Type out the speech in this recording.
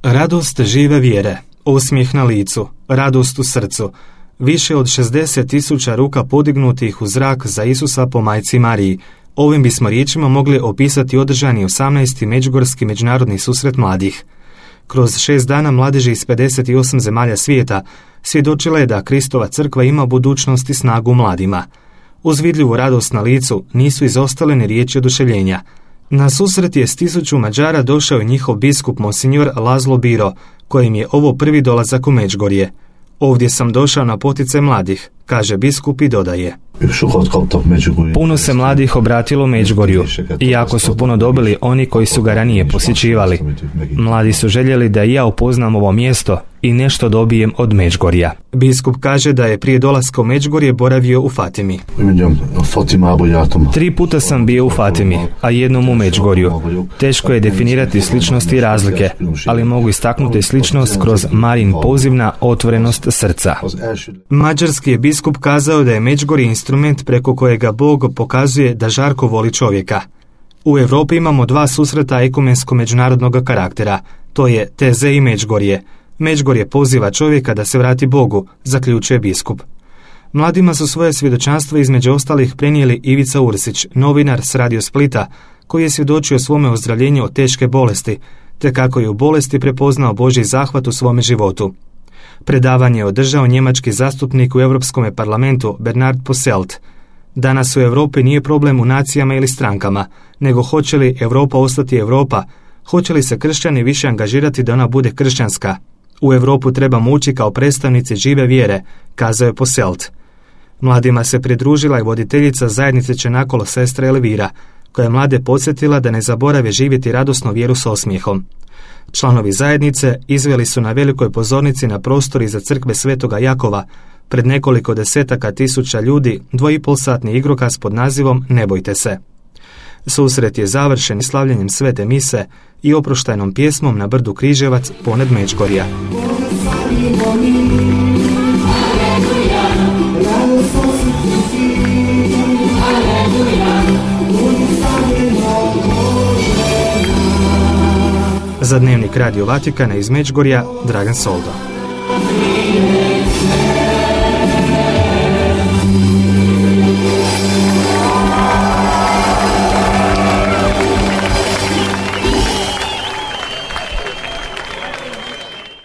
Radost žive vjere, osmijeh na licu, radost u srcu, više od 60.000 ruka podignutih u zrak za Isusa po majci Mariji. Ovim bismo riječima mogli opisati održani 18. Međugorski međunarodni susret mladih. Kroz 6 dana mladeži iz 58 zemalja svijeta svjedočile da Kristova crkva ima budućnost i snagu mladima. Uz vidljivu radost na licu nisu izostale ni riječi oduševljenja. Na susret je s 1000 Mađara došao i njihov biskup Monsignor Lazlo Biro, kojim je ovo prvi dolazak u Međugorje. Ovdje sam došao na poticaj mladih, kaže biskup i dodaje. Puno se mladih obratilo Međugorju, iako su puno dobili oni koji su ga ranije posjećivali. Mladi su željeli da i ja upoznam ovo mjesto i nešto dobijem od Međugorja. Biskup kaže da je prije dolaska u Međugorje boravio u Fatimi. 3 puta sam bio u Fatimi, a jednom u Međugorju. Teško je definirati sličnosti i razlike, ali mogu istaknuti sličnost kroz Marin poziv na otvorenost srca. Mađarski je biskup kazao da je Međugorje instrument preko kojega Bog pokazuje da žarko voli čovjeka. U Europi imamo 2 susreta ekumensko-međunarodnog karaktera, to je Teze i Međugorje. Međugorje poziva čovjeka da se vrati Bogu, zaključuje biskup. Mladima su svoje svjedočanstvo između ostalih prenijeli Ivica Ursić, novinar s Radio Splita, koji je svjedočio svome ozdravljenju od teške bolesti, te kako je u bolesti prepoznao Božji zahvat u svome životu. Predavanje je održao njemački zastupnik u Europskom parlamentu Bernard Posselt. Danas u Europi nije problem u nacijama ili strankama, nego hoće li Europa ostati Europa, hoće li se kršćani više angažirati da ona bude kršćanska. U Europu trebamo ući kao predstavnici žive vjere, kazao je Posselt. Mladima se pridružila i voditeljica zajednice Čenakolo sestra Elvira, koja je mlade podsjetila da ne zaborave živjeti radosnu vjeru s osmijehom. Članovi zajednice izveli su na velikoj pozornici na prostori za crkve Svetoga Jakova pred nekoliko desetaka tisuća ljudi 2,5-satni igrokaz pod nazivom Ne bojte se. Susret je završen slavljenjem svete mise i oproštajnom pjesmom na brdu Križevac ponad Međugorja. Za Dnevnik Radio Vatikana iz Međugorja, Dragan Soldo.